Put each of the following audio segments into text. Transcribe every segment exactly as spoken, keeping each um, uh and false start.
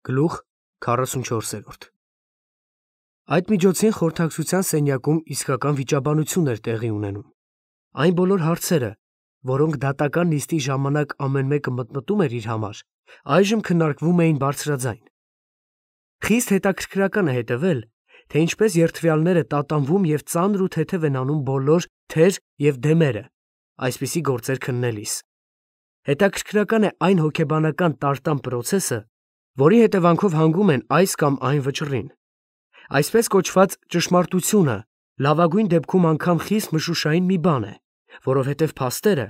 Գլուխ քառասունչորս։ Այդ միջոցին խորհրդակցության սենյակում իսկական վիճաբանություն էր տեղի ունենում։ Այն բոլոր հարցերը, որոնք դատական նիստի ժամանակ ամեն մեկը մտմտում էր իր համար, այժմ քննարկվում էին բարձրաձայն։ Խիստ հետաքրքրական է հետևել, թե ինչպես երդվյալները տատանվում և ծանր ու թեթև են անում բոլոր թեր և դեմերը, այսպիսի գործեր քննելիս։ Հետաքրքրական է այն հոգեբանական տարտան պրոցեսը, որի հետևանքով հանգում են այս կամ այն վճռին։ Այսպես կոչված ճշմարտությունը լավագույն դեպքում անգամ խիստ մշուշային մի բան է, որովհետև փաստերը,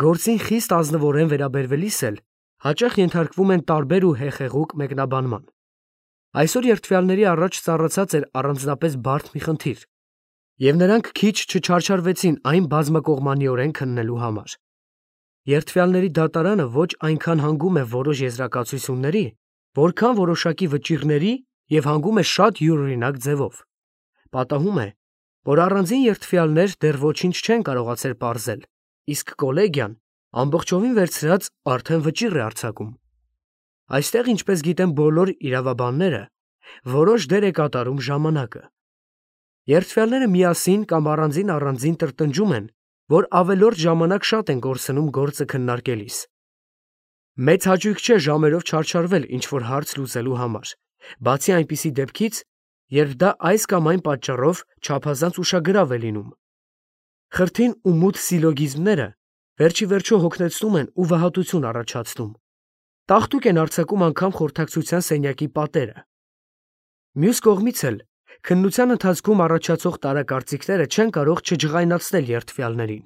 գործին խիստ ազնվորեն վերաբերվելիս էլ, հաճախ ենթարկվում են տարբեր ու հեխեղուկ մեկնաբանման։ Այսօր երդվյալների առաջ ծառացած էր առանձնապես բարդ մի խնդիր, և նրանք քիչ չչարչարվեցին այն բազմակողմանիորեն քննելու համար։ Երդվյալների դատարանը ոչ այնքան հանգում է որոշ եզրակացությունների, որքան որոշակի վճիռների և հանգում է շատ յուրօրինակ ձևով։ Պատահում է, որ առանձին երդվյալներ դեռ ոչինչ չեն կարողացել պարզել, իսկ կոլեգիան ամբողջովին վերցրած արդեն վճիռ է արձակում։ Այստեղ, ինչպես գիտեն բոլոր իրավաբանները, որոշ դեր է կատարում ժամանակը։ Երդվյալները միասին կամ առանձին-առանձին տրտնջում են, որ ավելորդ ժամանակ շատ են կորցնում գործը քննարկելիս։ Մեծ հաճույք չէ ժամերով չարչարվել ինչ-որ հարց լուծելու համար, բացի այնպիսի դեպքից, երբ դա այս կամ այն պատճառով չափազանց ուշագրավ է լինում։ Խրթին ու մութ սիլոգիզմները վերջիվերջո հոգնեցնում են ու վհատություն առաջացնում։ Տաղտուկ են արձակում անգամ խորհրդակցության սենյակի պատերը։ Մյուս կողմից էլ, քննության ընթացքում առաջացող տարակարծիքները չեն կարող չջղայնացնել երդվյալներին։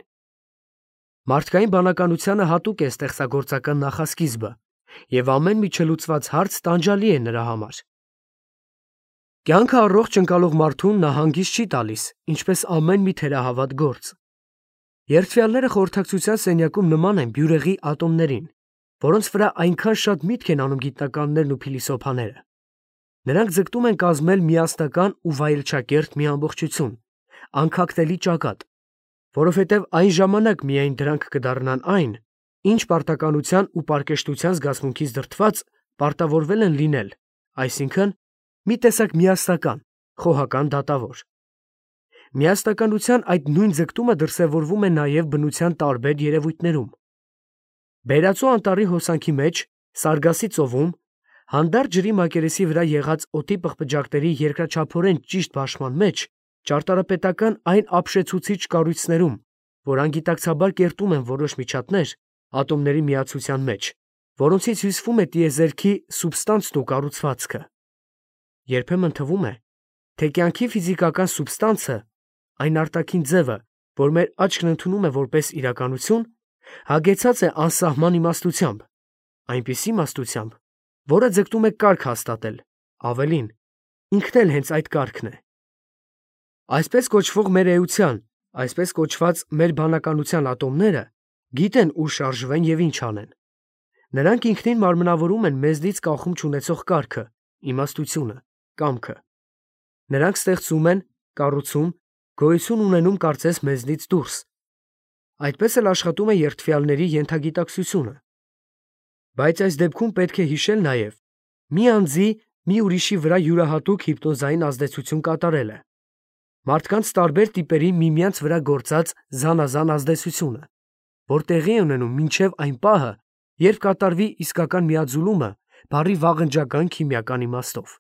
Մարդկային բանականությանը հատուկ է ստեղծագործական նախասկիզբը, և ամեն մի չլուծված հարց տանջալի է նրա համար։ Կյանքը առողջ ընկալող մարդուն նա հանգիստ չի տալիս, ինչպես ամեն մի թերահավատ գործ։ Երդվյալները խորհրդակցության սենյակում նման են բյուրեղի ատոմներին, որոնց վրա այնքան շատ միտք են անում գիտնականներն ու փիլիսոփաները։ Նրանք ձգտում են կազմել միասնական ու վայելչակերտ մի ամբողջություն, անքակտելի ճակատ, որովհետև այն ժամանակ միայն դրանք կդառնան այն, ինչ պարտականության ու պարկեշտության զգացմունքից դրդված պարտավորվել են լինել, այսինքն՝ մի տեսակ միասնական, խոհական դատավոր։ Միասնականության այդ նույն ձգտումը դրսևորվում է նաև բնության տարբեր երևույթներում։ Բերածո անտառի հոսանքի մեջ, Սարգասի ծովում, հանդարտ ջրի մակերեսի վրա եղած օդի պղպջակների երկրաչափորեն ճիշտ բաշխման մեջ, ճարտարապետական այն ապշեցուցիչ կառույցներում, որ անգիտակցաբար կերտում են որոշ միջատներ ատոմների միացության մեջ, որոնցից հյուսվում է տիեզերքի սուբստանցն ու կառուցվածքը։ Երբեմն թվում է, թե կյանքի ֆիզիկական սուբստանցը, այն արտաքին ձևը, որ մեր աչքն ընդունում է որպես իրականություն, հագեցած է անսահման իմաստությամբ, այնպիսի իմաստությամբ, որը ձգտում է կարգ հաստատել, ավելին, ինքն էլ հենց այդ կարգն է։ Այսպես կոչվող մեր էության, այսպես կոչված մեր բանականության ատոմները գիտեն ուր շարժվեն և ինչ անեն։ Նրանք ինքնին մարմնավորում են մեզնից կախում չունեցող կարգը, իմաստությունը, կամքը։ Նրանք ստեղծում են, կառուցում, գոյություն ունենում կարծես մեզնից դուրս։ Այդպես էլ աշխատում է երդվյալների ենթագիտակցությունը։ Բայց այս դեպքում պետք է հիշել նաև մի անձի մի ուրիշի վրա յուրահատուկ հիպնոզային ազդեցություն կատարելը, մարդկանց տարբեր տիպերի միմյանց վրա գործած զանազան ազդեցությունը, որ տեղի է ունենում մինչև այն պահը, երբ կատարվի իսկական միաձուլումը բառի վաղնջական քիմիական իմաստով։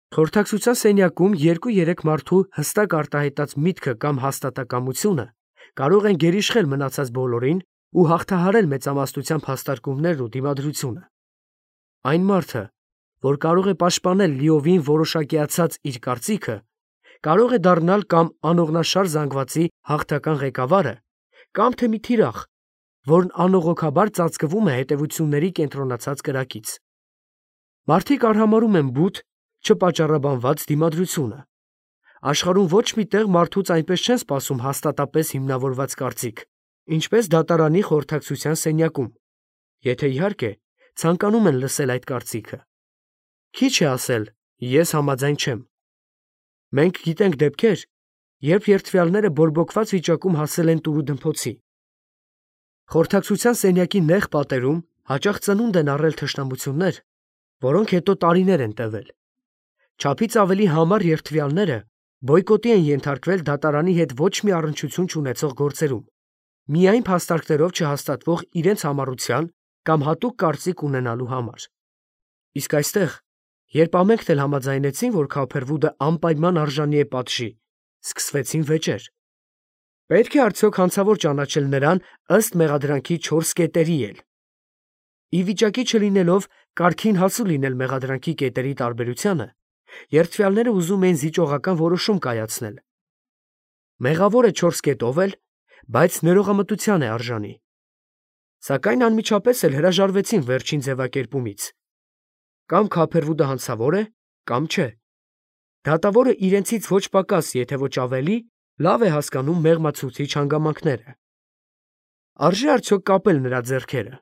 Խորհրդակցության սենյակում երկու-երեք մարդու հստակ արտահայտած միտքը կամ հաստատակամությունը կարող են գերիշխել մնացած բոլորին ու հաղթահարել մեծամասնությամբ հաստարկումներն ու դիմադրությունը։ Այն մարդը, որ կարող է պաշտպանել լիովին որոշակիացած իր կարծիքը, կարող է դառնալ կամ անողնաշար զանգվածի հաղթական ղեկավարը, կամ թե մի թիրախ, որն անողոքաբար ծածկվում է հետևությունների կենտրոնացած կրակից։ Մարդիկ արհամարհում են բութ, չպատճառաբանված դիմադրությունը։ Աշխարհում ոչ մի տեղ մարդուց այնպես չեն սպասում հաստատապես հիմնավորված կարծիք, ինչպես դատարանի խորհրդակցության սենյակում, եթե իհարկե ցանկանում են լսել այդ կարծիքը։ Քիչ է ասել, ես համաձայն չեմ։ Մենք գիտենք դեպքեր, երբ երդվյալները բորբոքված վիճակում հասել են տուրուդմփոցի։ Խորհրդակցության սենյակի նեղ պատերում հաճախ ծնունդ են առել թշնամություններ, որոնք հետո տարիներ են տևել։ Չափից ավելի համառ երդվյալները բոյկոտի են ենթարկվել դատարանի հետ ոչ մի առնչություն չունեցող գործերում, միայն փաստարկներով չհաստատվող իրենց համառության կամ հատուկ կարծիք ունենալու համար։ Իսկ այստեղ, երբ ամենքն էլ համաձայնեցին, որ Քոփերվուդը անպայման արժանի է պատժի, սկսվեցին վեճեր։ Պետք է արդյոք հանցավոր ճանաչել նրան ըստ մեղադրանքի չորս կետերի էլ։ Ի վիճակի չլինելով կարգին հասու լինել մեղադրանքի կետերի տարբերությանը, երդվյալները ուզում էին զիջողական որոշում կայացնել։ Մեղավոր է չորս կետով էլ, բայց ներողամտության է արժանի։ Սակայն անմիջապես էլ հրաժարվեցին վերջին ձևակերպումից։ Կամ Քոփերվուդը հանցավոր է, կամ չէ։ Դատավորը իրենցից ոչ պակաս, եթե ոչ ավելի, լավ է հասկանում մեղմացուցիչ հանգամանքները։ Արժե արդյոք կապել նրա ձեռքերը։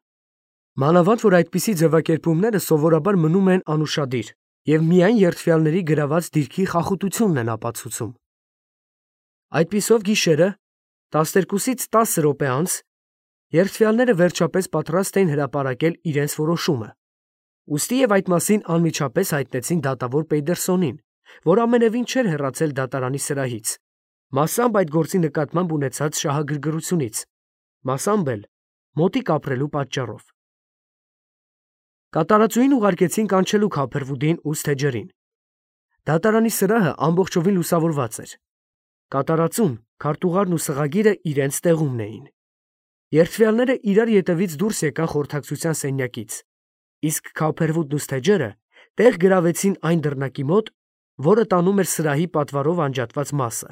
Մանավանդ որ այդպիսի ձևակերպումները սովորաբար մնում են անուշադիր և միայն երդվյալների գրաված դիրքի խախտությունն են ապացուցում։ Այդպիսով գիշերը, տասներկուսից տասը րոպե անց, երդվյալները վերջապես պատրաստ էին հրապարակել իրենց որոշումը, ուստի և այդ մասին անմիջապես հայտնեցին դատավոր Պեյդերսոնին, որ ամենևին չէր հեռացել դատարանի սրահից, մասամբ այդ գործի նկատմամբ ունեցած շահագրգռությունից, մասամբ էլ մոտիկ ապրելու պատճառով։ Կատարածուին ուղարկեցին կանչելու Քոփերվուդին ու Սթեջերին։ Դատարանի սրահը ամբողջովին լուսավորված էր։ Կատարածուն, քարտուղարն ու սղագիրը իրենց տեղումն էին։ Երդվյալները իրար ետևից դուրս եկան խորհրդակցության սենյակից, իսկ Քոփերվուդն ու Սթեջերը տեղ գրավեցին այն դռնակի մոտ, որը տանում էր սրահի պատվարով անջատված մասը։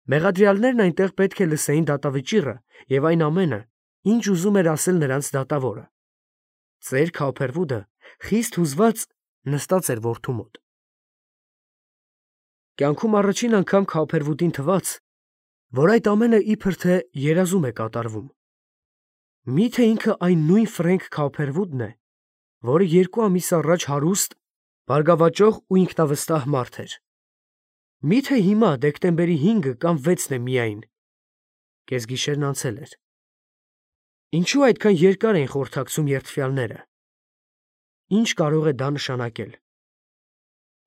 Մեղադրյալներն այնտեղ պետք է լսեին դատավճիռը և այն ամենը, ինչ ուզում էր ասել նրանց դատավորը։ Ծեր Քոփերվուդը խիստ հուզված նստած էր որդու մոտ։ Կյանքում առաջին անգամ Քոփերվուդին թվաց, որ այդ ամենը իբր թե երազում է կատարվում։ Մի՞թե ինքը այն նույն Ֆրենկ Քոփերվուդն է, որը երկու ամիս առաջ հարուստ, բարգավաճող ու ինքնավստահ մարդ էր։ Մի՞թե հիմա դեկտեմբերի հինգը կամ վեցն է միայն։ Կեսգիշերն անցել էր։ Ինչու այդքան երկար էին խորհրդակցում երդվյալները։ Ինչ կարող է դա նշանակել։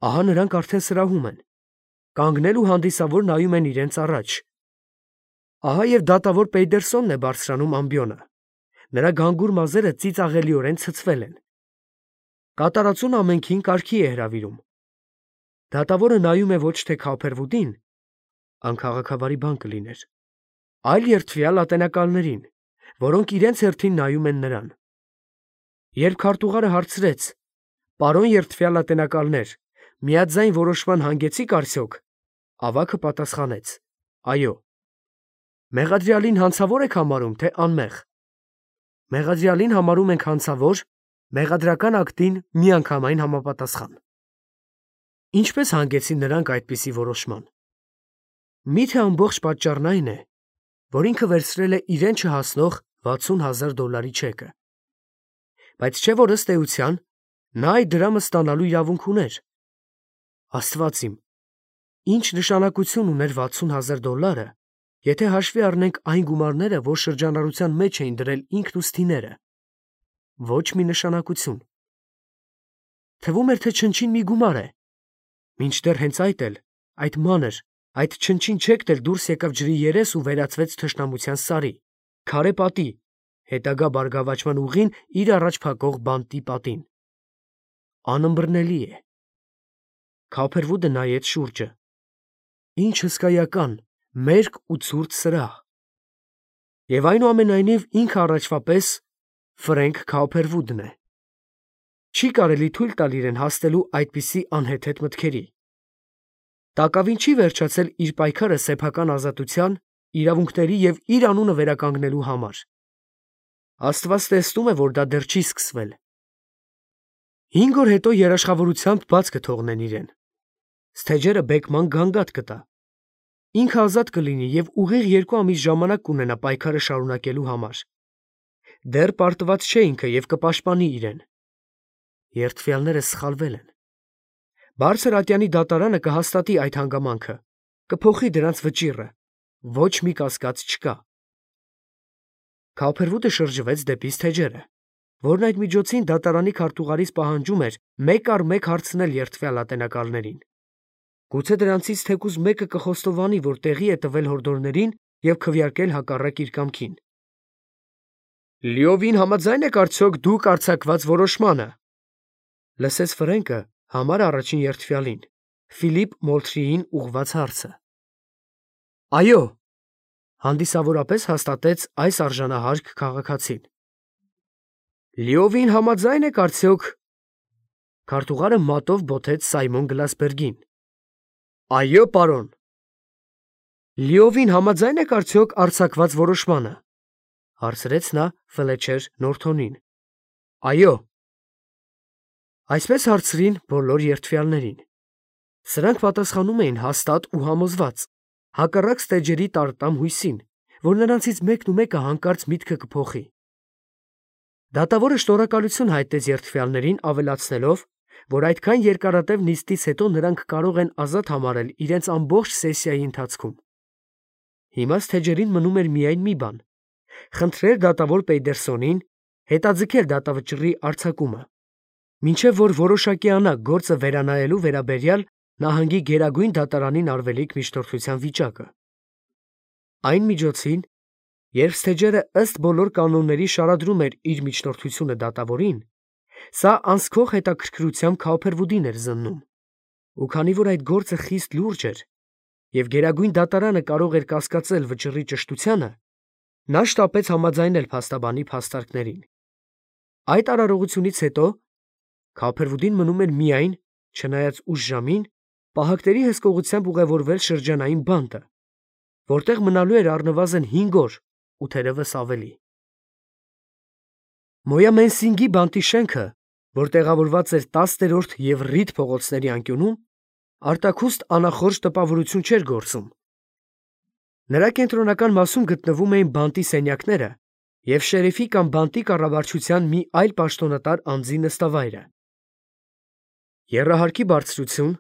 Ահա նրանք արդեն սրահում են, կանգնել ու հանդիսավոր նայում են իրենց առաջ։ Ահա և դատավոր Պեյդերսոնն է բարձրանում ամբիոնը, նրա գանգուր մազերը ծիծաղելիորեն ցցվել են։ Կատարածուն ամենքին կարգի է հրավիրում։ Դատավորը նայում է ոչ թե Քոփերվուդին, անքաղաքավարի բան կլիներ, այլ երդվյալ ատենակալներին, որոնք իրենց հերթին նայում են նրան։ Երբ քարտուղարը հարցրեց. «Պարոն երդվյալ ատենակալներ, միաձայն որոշման հանգեցի՞ք արդյոք», ավագը պատասխանեց. «Այո»։ Մեղադրյալին հանցավոր եք համարում, թե անմեղ։ Մեղադրյալին համարում ենք հանցավոր, մեղադրական ակտին միանգամայն համապատասխան։ Ինչպե՞ս հանգեցին նրանք այդպիսի որոշման։ Մի՞թե ամբողջ պատճառն այն է, որ ինքը վերցրել է իրեն չհասնող վաթսուն հազար դոլարի չեկը։ Բայց չէ՞ որ ըստ էության նա այդ դրամը ստանալու իրավունք ուներ։ Աստված իմ, ինչ նշանակություն ուներ վաթսուն հազար դոլարը, եթե հաշվի առնենք այն գումարները, որ շրջանառության մեջ էին դրել ինքն ու Սթիները։ Ոչ մի նշանակություն։ Թվում էր, թե չնչին մի գումար է։ Մինչդեռ հենց այդ էլ, այդ մանր, այդ չնչին չեկն էլ դուրս եկավ ջրի երես ու վերածվեց թշնամության սարի, քարե պատի, հետագա բարգավաճման ուղին իր առաջ փակող բանտի պատին։ Անըմբռնելի է։ Քոփերվուդը նայեց շուրջը։ Ինչ հսկայական, մերկ ու ցուրտ սրահ։ Եվ այնուամենայնիվ ինքը առաջվա պես Ֆրենկ Քոփերվուդն է։ Չի կարելի թույլ տալ իրեն հասնելու այդպիսի անհեթեթ մտքերի։ Տակավին չի վերջացել իր պայքարը սեփական ազատության, իրավունքների և իր անունը վերականգնելու համար։ Աստված տեսնում է, որ դա դեռ չի սկսվել։ Հինգ օր հետո երաշխավորությամբ բաց կթողնեն իրեն։ Սթեջերը բեկման գանգատ կտա։ Ինքը ազատ կլինի և ուղիղ երկու ամիս ժամանակ կունենա պայքարը շարունակելու համար։ Դեռ պարտված չէ ինքը և կպաշտպանի իրեն։ Երդվյալները սխալվել են։ Բարձր ատյանի դատարանը կհաստատի այդ հանգամանքը, կփոխի դրանց վճիռը, ոչ մի կասկած չկա։ Քոփերվուդը շրջվեց դեպի Սթեջերը։ որն այդ միջոցին դատարանի քարտուղարից պահանջում էր մեկ առ մեկ հարցնել երդվյալ ատենակալներին։ Գուցե դրանցից թեկուզ մեկը կխոստովանի, որ տեղի է տվել հորդորներին և քվեարկել հակառակ իր կամքին։ «Լիովին համաձայն եք արդյոք դուք արձակված որոշմանը», լսեց Ֆրենկը համար առաջին երդվյալին, Ֆիլիպ Մոլթրիին ուղղված հարցը։ «Այո», հանդիսավորապես հաստատեց այս արժանահարգ քաղաքացին։ «Լիովին համաձայն եք արդյոք»։ Քարտուղարը մատով բոթեց Սայմոն Գլասբերգին։ «Այո, պարոն»։ «Լիովին համաձայն եք արդյոք արձակված որոշմանը», հարցրեց նա Ֆլեչեր Նորթոնին։ «Այո»։ Այսպես հարցրին բոլոր երդվյալներին։ Սրանք պատասխանում էին հաստատ ու համոզված, հակառակ ստեջերի տարտամ հույսին, որ նրանցից մեկն ու մեկը հանկարծ միտքը կփոխի։ Դատավորը շնորհակալություն հայտնեց երդվյալներին, ավելացնելով, որ այդքան երկարատև նիստից հետո նրանք կարող են ազատ համարել իրենց ամբողջ սեսիայի ընթացքում։ Հիմա ստեջերին մնում էր միայն մի բան՝ խնդրել դատավոր Պեյդերսոնին հետաձգել դատավճռի արձակումը, մինչև որ որոշակիանա գործը վերանայելու վերաբերյալ նահանգի գերագույն դատարանին արվելիք միջնորդության վիճակը։ Այն միջոցին, երբ ստեջերը ըստ բոլոր կանոնների շարադրում էր իր միջնորդությունը դատավորին, սա անսքող հետաքրքրությամբ Քաուփերվուդին էր զննում, ու քանի որ այդ գործը խիստ լուրջ էր, և գերագույն դատարանը կարող էր կասկածել վճռի ճշտությանը, նա շտապեց համաձայնել փաստաբանի փաստարկներին։ Այդ արարողությունից հետո Քաուփերվուդին մնում էր միայն, չնայած ուշ ժամին, պահակների հսկողությամբ ուղևորվել շրջանային բանտը, որտեղ մնալու էր առնվազն հինգ օր ու թերևս ավելի։ Մոյամենսինգի բանտի շենքը, որ տեղավորված էր տասներորդ և Ռիդ փողոցների անկյունում, արտաքուստ անախորժ տպավորություն չէր գործում։ Նրա կենտրոնական մասում գտնվում էին բանտի սենյակները և շերիֆի կամ բանտի կառավարչության մի այլ պաշտոնատար անձի նստավայրը։ Եռահարկի բարձրություն,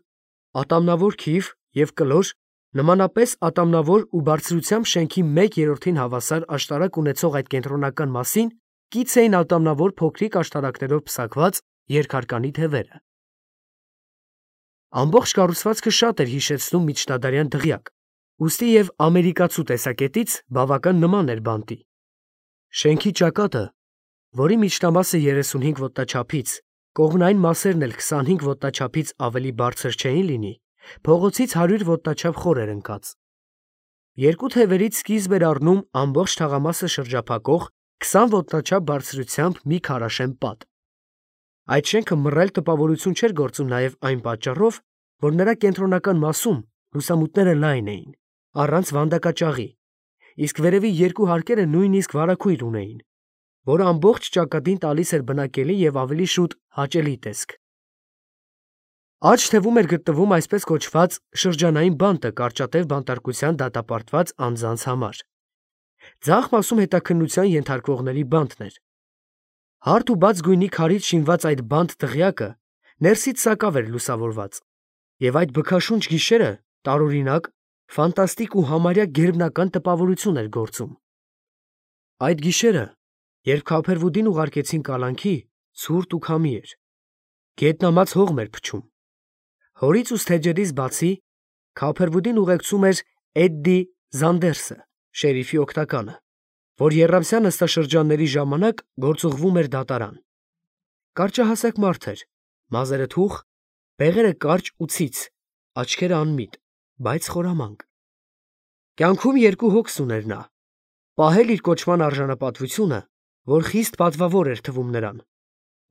ատամնավոր քիվ և կլոր նմանապես ատամնավոր ու բարձրությամբ շենքի մեկ երրորդին հավասար աշտարակ ունեցող այդ կենտրոնական մասին կից էին ատամնավոր փոքրիկ աշտարակներով պսակված երկհարկանի թևերը։ Ամբողջ կառուցվածքը շատ էր հիշեցնում միջնադարյան դղյակ, ուստի և ամերիկացու տեսակետից բավական նման էր բանտի։ Շենքի ճակատը, որի միջնամասը երեսունհինգ ոտնաչափից, կողմնային մասերն էլ քսանհինգ ոտնաչափից ավելի բարձր չէին լինի, փողոցից հարյուր ոտնաչափ խոր էր ընկած։ Երկու թևերից սկիզբ էր առնում ամբողջ թաղամասը շրջափակող քսան ոտնաչափ բարձրությամբ մի քարաշեն պատ։ Այդ շենքը մռայլ տպավորություն չէր գործում նաև այն պատճառով, որ նրա կենտրոնական մասում լուսամուտները լայն էին, առանց վանդակաճաղի, իսկ վերևի երկու հարկերը նույնիսկ վարագույր ունեին, որը ամբողջ ճակատին տալիս էր բնակելի և ավելի շուտ հաճելի տեսք։ Աջ թևում էր գտնվում այսպես կոչված շրջանային բանտը կարճատև բանտարկության դատապարտված անձանց համար։ Ձախ մասում հետաքննության ենթարկվողների բանտն էր։ Հարթ ու բաց գույնի քարից շինված այդ բանտ դղյակը ներսից սակավ էր լուսավորված, և այդ բքաշունչ գիշերը տարօրինակ, ֆանտաստիկ ու համարյա գերբնական տպավորություն էր գործում։ Այդ գիշերը, երբ Քաուփերվուդին ուղարկեցին կալանքի, ցուրտ ու քամի էր։ Գետնամած հողմ էր փչում։ Հորից ու ստեջերից բացի, Քաուփերվուդին ուղեկցում էր Էդդի Զանդերսը, շերիֆի օգնականը, որ եռամսյա նստաշրջանների ժամանակ գործուղվում էր դատարան։ Կարճահասակ մարդ էր, մազերը թուխ, բեղերը կարճ ու ցից, աչքերը անմիտ, բայց խորամանկ։ Կյանքում երկու հոգս ուներ նա՝ պահել իր կոչման արժանապատվությունը, որ խիստ պատվավոր էր թվում նրան,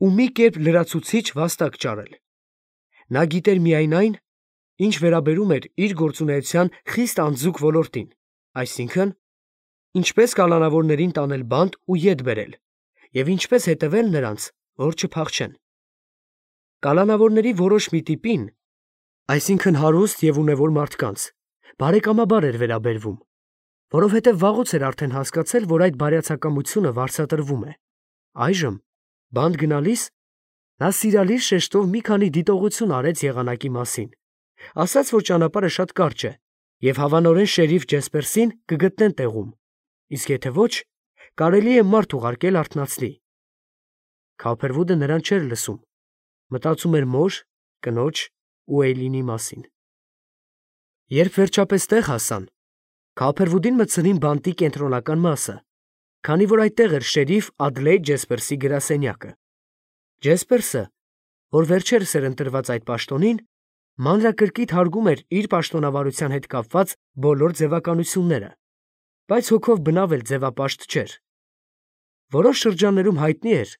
ու մի կերպ լրացուցիչ վաստակ ճարել։ Նա գիտեր միայն այն, ինչ վերաբերում էր իր գործունեության խիստ անձուկ ոլորտին, այսինքն՝ ինչպես կալանավորներին տանել բանտ ու ետ բերել, և ինչպես հետևել նրանց, որ չփախչեն։ Կալանավորների որոշ մի տիպին, այսինքն հարուստ և ունևոր մարդկանց, բարեկամաբար էր վերաբերվում, որովհետև վաղուց էր արդեն հասկացել, որ այդ բարյացակամությունը վարձատրվում է։ Այժմ, բանտ գնալիս, նա սիրալիր շեշտով մի քանի դիտողություն արեց եղանակի մասին, ասաց, որ ճանապարհը շատ կարճ է, և հավանորեն շերիֆ Ջեսպերսին կգտնեն տեղում, իսկ եթե ոչ, կարելի է մարդ ուղարկել արթնացնի։ Քալփերվուդը նրան չէր լսում, մտածում էր մոր, կնոջ ու Էյլինի մասին։ Երբ վերջապես տեղ հասան, Քալփերվուդին մտցրին բանտի կենտրոնական մասը, քանի որ այդտեղ էր շերիֆ Ադլեյդ Ջեսպերսի գրասենյակը։ Ջեսպերսը, որ վերջերս էր ընտրված այդ պաշտոնին, մանրակրկիտ հարգում էր իր պաշտոնավարության հետ կապված բոլոր ձևականությունները, բայց հոգով բնավ էլ ձևապաշտ չէր։ Որոշ շրջաններում հայտնի էր,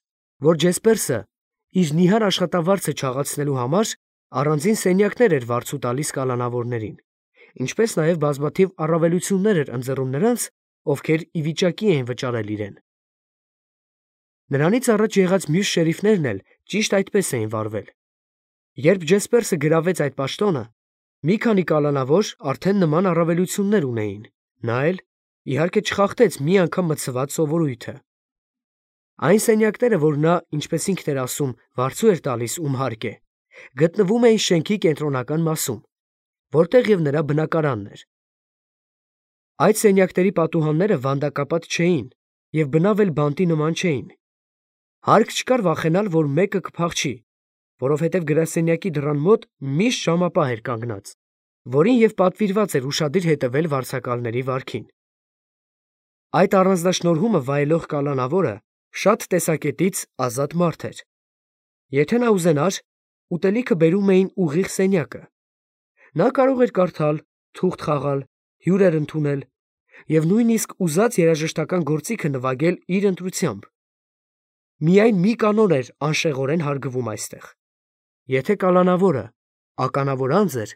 որ Ջեսպերսը իր նիհար աշխատավարձը չաղացնելու համար առանձին սենյակներ էր վարձու տալիս կալանավորներին, ինչպես նաև բազմաթիվ առավելություններ էր ընձեռում նրանց, ովքեր ի վիճակի էին վճարել իրեն։ Նրանից առաջ եղած մյուս շերիֆներն էլ ճիշտ այդպես էին վարվել։ Երբ Ջեսպերսը գրավեց այդ պաշտոնը, մի քանի կալանավոր արդեն նման առավելություններ ունեին, նա էլ, իհարկե, չխախտեց մի անգամ մտցված սովորույթը։ Այն սենյակները, որ նա, ինչպես ինքն էր ասում, վարձու էր տալիս ում հարկ է, գտնվում էին շենքի կենտրոնական մասում, որտեղ և նրա բնակարանն էր։ Այդ սենյակների պատուհանները վանդակապատ չէին և բնավ էլ բանտի նման չէին։ Հարկ չկար վախենալ, որ մեկը կփախչի, որովհետև գրասենյակի դռան մոտ միշտ ժամապահ էր կանգնած, որին և պատվիրված էր ուշադիր հետևել վարձակալների վարքին։ Այդ առանձնաշնորհումը վայելող կալանավորը շատ տեսակետից ազատ մարդ էր։ Եթե նա ուզենար, ուտելիքը բերում էին ուղիղ սենյակը։ Նա կարող էր կարդալ, թուղթ խաղալ, հյուրեր ընդունել և նույնիսկ ուզած երաժշտական գործիքը նվագել իր ընտրությամբ։ Միայն մի կանոն էր անշեղորեն հարգվում այստեղ. եթե կալանավորը ականավոր անձ էր,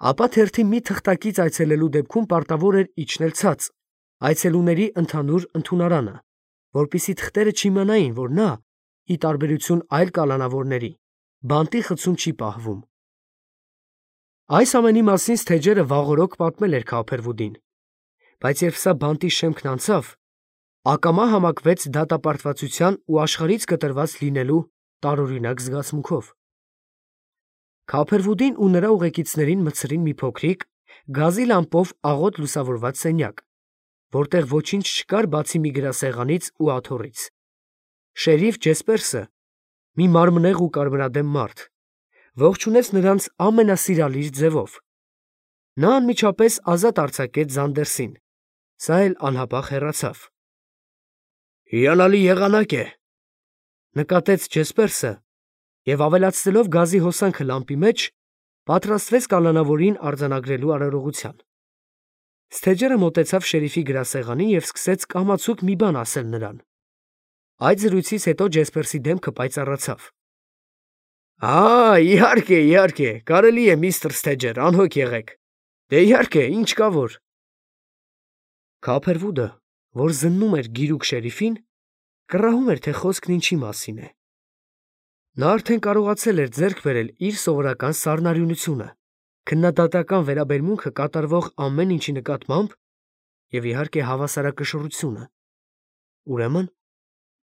ապա թերթի մի թղթակից այցելելու դեպքում պարտավոր էր իջնել ցած, այցելուների ընդհանուր ընդունարանը, որպեսզի թղթերը չիմանային, որ նա, ի տարբերություն այլ կալանավորների, բանտի խցում չի պահվում։ Այս ամենի մասին Սթեջերը վաղօրոք պատմել էր Քալփերվուդին, բայց երբ սա բանտի շեմքն անցավ, ակամա համակվեց դատապարտվածության ու աշխարհից կտրված լինելու տարօրինակ զգացմունքով։ Քալփերվուդին ու նրա ուղեկիցներին մտցրին մի փոքրիկ, գազի լամպով աղոտ լուսավորված սենյակ, որտեղ ոչինչ չկար բացի մի գրասեղանից ու աթոռից։ Շերիֆ Ջեսպերսը, մի մարմնեղ ու կարմրադեմ մարդ, ողջունեց նրանց ամենասիրալիր ձևով։ Նա անմիջապես ազատ արձակեց Զանդերսին, սա էլ անհապաղ հեռացավ։ «Հիանալի եղանակ է», նկատեց Ջեսպերսը և ավելացնելով գազի հոսանքը լամպի մեջ, պատրաստվեց կալանավորին արձանագրելու արարողության։ Սթեջերը մոտեցավ շերիֆի գրասեղանին և սկսեց կամացուկ մի բան ասել նրան։ Այդ զրույցից հետո Ջեսպերսի դեմքը պայծառացավ։ «Ա, իհարկե, իհարկե, կարելի է, միստր Սթեջեր, անհոգ եղեք։ Դե իհարկե, ինչ կա որ»։ Քալփերվուդը, որ զննում էր գիրուկ շերիֆին, կռահում էր, թե խոսքն ինչի մասին է։ Նա արդեն կարողացել էր ձեռք բերել իր սովորական սառնարյունությունը, քննադատական վերաբերմունքը կատարվող ամեն ինչի նկատմամբ և, իհարկե, հավասարակշռությունը։ Ուրեմն,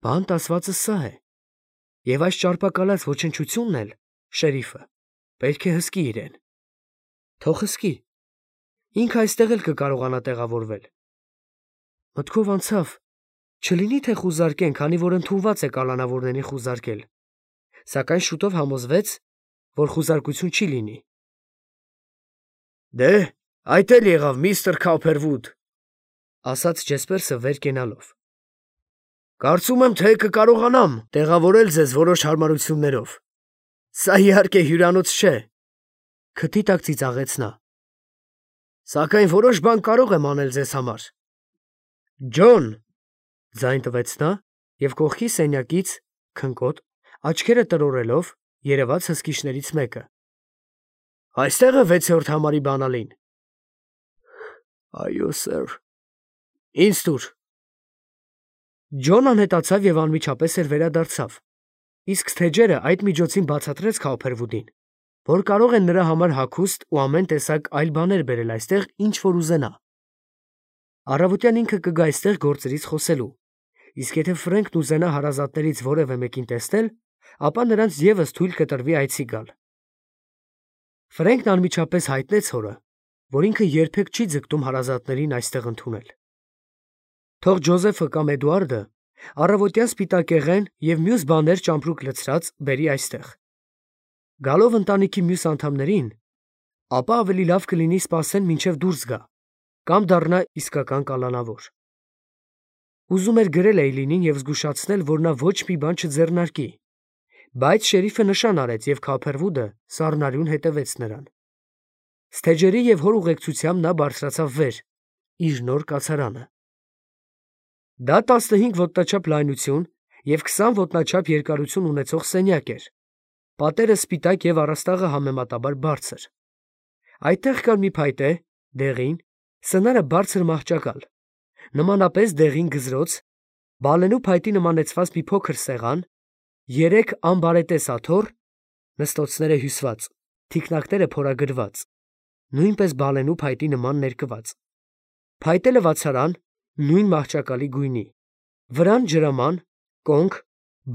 բանտ ասվածը սա է, և այս ճարպակալած ոչնչությունն էլ, շերիֆը, պետք է հսկի իրեն։ Թող հսկի, ինքը այստեղ էլ կկարողանա տեղավորվել։ Մտքով անցավ, չլինի թե խուզարկեն, քանի որ ընդունված է կալանավորներին խուզարկել, սակայն շուտով համոզվեց, որ խուզարկություն չի լինի։ «Դե, այդ էլ եղավ, միստր Քալփերվուդ», ասաց Ջեսպերսը վեր կենալով։ «Կարծում եմ, թե կկարողանամ տեղավորել ձեզ որոշ հարմարություններով։ Սա իհարկե հյուրանոց չէ», քթի տակ ծիծաղեց նա, «սակայն որոշ բան կարող եմ անել ձեզ համար»։ «Ջոն», ձայն տվեց նա և կողքի սենյակից, քնկոտ, աչքերը տրորելով, երևաց հսկիչներից մեկը։ «Այստե՞ղ է վեցերորդ համարի բանալին»։ «Այո, սըր»։ «Ինձ տուր»։ Ջոն անհետացավ և անմիջապես էլ վերադարձավ, իսկ Սթեջերը այդ միջոցին բացատրեց Քալփերվուդին, որ կարող են նրա համար հագուստ ու ամեն տեսակ այլ բաներ բերել այստեղ, ինչ որ ուզենա։ Առավոտյան ինքը կգա այստեղ գործերից խոսելու, իսկ եթե Ֆրենքն ուզենա հարազատներից որևէ մեկին տեսնել, ապա նրանց ևս թույլ կտրվի այցի գալ։ Ֆրենքն անմիջապես հայտնեց հորը, որ ինքը երբեք չի ձգտում հարազատներին այստեղ ընդունել։ Թող Ջոզեֆը կամ Էդուարդը Առավոտյան սպիտակեղեն և մյուս բաներ ճամպրուկ լցրած բերի այստեղ։ Գալով ընտանիքի մյուս անդամներին, ապա ավելի լավ կլինի սպասեն մինչև դուրս գա, կամ դառնա իսկական կալանավոր։ Ուզում էր գրել Էյլինին և զգուշացնել, որ նա ոչ մի բան չձեռնարկի, բայց շերիֆը նշան արեց և Քոփերվուդը սառնարյուն հետևեց նրան։ Սթեջերի և հոր ուղեկցությամբ նա բարձրացավ վեր, իր նոր կացարանը։ Դա տասնհինգ ոտնաչափ լայնություն և քսան ոտնաչափ երկարություն ունեցող սենյակ էր, պատերը սպիտակ և առաստաղը համեմատաբար բարձր։ Այդտեղ կար մի փայտե, դեղին, սնարը բարձր մահճակալ, նմանապես դեղին գզրոց, բալենու փայտի նմանեցված մի փոքր սեղան, երեք անբարետես աթոռ, նստոցները հյուսված, թիկնակները փորագրված, նույնպես բալենու փայտի նման ներկված, փայտե լվացարան, նույն մահճակալի գույնի, վրան ջրաման, կոնք,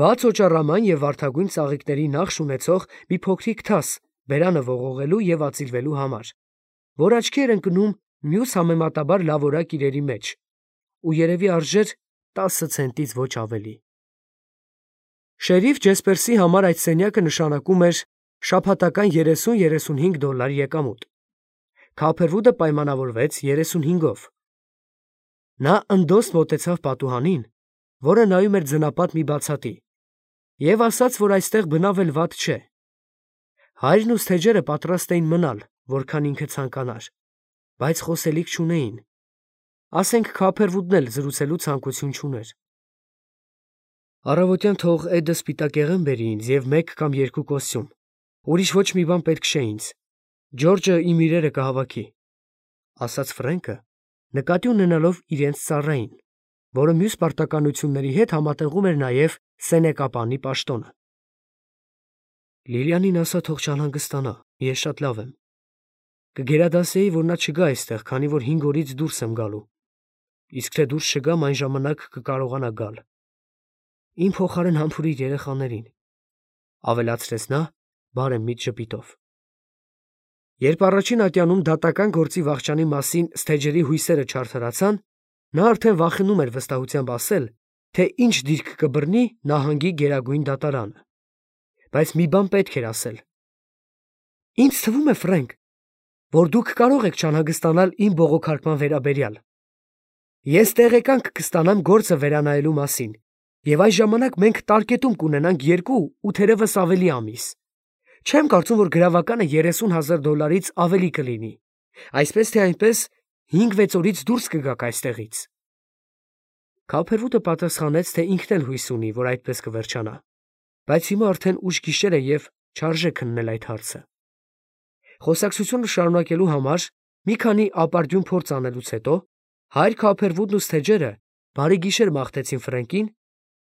բաց օճառաման և վարդագույն ծաղիկների նախշ ունեցող մի փոքրիկ թաս բերանը ողողելու և ածիլվելու համար, որ աչքի էր ընկնում մյուս համեմատաբար լավորակ իրերի մեջ, ու երևի արժեր տասը ցենտից ոչ ավելի։ Շերիֆ Ջեսպերսի համար այդ սենյակը նշանակում էր շաբաթական երեսուն֊երեսունհինգ դոլար եկամուտ։ Քոփերվուդը պայմանավորվեց երեսունհինգով։ Նա ընդոստ մոտեցավ պատուհանին, որը նայում էր ձնապատ մի բացատի, և ասաց, որ այստեղ բնավ էլ վատ չէ։ Հայրն ու Սթեջերը պատրաստ էին մնալ, որքան ինքը ցանկանար, բայց խոսելիք չունեին։ Ասենք Քոփերվուդն էլ զրուցելու ցանկություն չուներ։ Առավոտյան թող Էդը սպիտակեղեն բերի ինձ և մեկ կամ երկու կոստյում, ուրիշ ոչ մի բան պետք չէ ինձ, Ջորջը իմ իրերը կհավաքի, ֊ ասաց Ֆրենկը, նկատի ունենալով իրենց ծառային, որը մյուս պարտականությունների հետ համատեղում էր նաև սենեկապանի պաշտոնը։ Լիլիանին ասա թող չանհանգստանա, ես շատ լավ եմ։ Կգերադասեի, որ նա չգա այստեղ, քանի որ հինգ օրից դուրս եմ գալու, իսկ թե դուրս չգամ, այն ժամանակ կկարողանա գալ։ Իմ փոխարեն համբուրիր երեխաներին, ֊ ավելացրեց նա բարեմիտ ժպիտով։ Երբ առաջին ատյանում դատական գործի վախճանի մասին Սթեջերի հույսերը չարդարացան, նա արդեն վախենում էր վստահությամբ ասել, թե ինչ դիրք կբռնի նահանգի գերագույն դատարանը։ Բայց մի բան պետք էր ասել։ Ինձ թվում է, Ֆրենկ, որ դուք կարող եք չանհանգստանալ իմ բողոքարկման վերաբերյալ։ Ես տեղեկանք կստանամ գործը վերանայելու մասին, և այս ժամանակ մենք տարկետում կունենանք երկու ու թերևս ավելի ամիս։ Չեմ կարծում, որ գրավականը երեսուն հազար դոլարից ավելի կլինի, այսպես թե այնպես հինգ֊վեց օրից դուրս կգաք այստեղից։ Քոփերվուդը պատասխանեց, թե ինքն էլ հույս ունի, որ այդպես կվերջանա, բայց հիմա արդեն ուշ գիշեր է և չարժե քննել այդ հարցը։ Խոսակցությունը շարունակելու համար մի քանի ապարդյուն փորձ անելուց հետո հայր Քոփերվուդն ու Սթեջերը բարի գիշեր մաղթեցին Ֆրենկին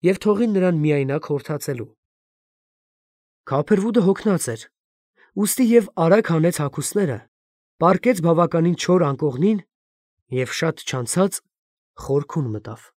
և թողին նրան միայնակ հորթացելու։ Քոփերվուդը հոգնած էր, ուստի և արագ հանեց հագուստները, պառկեց բավականին չոր անկողնին և շատ չանցած խորքում մտավ։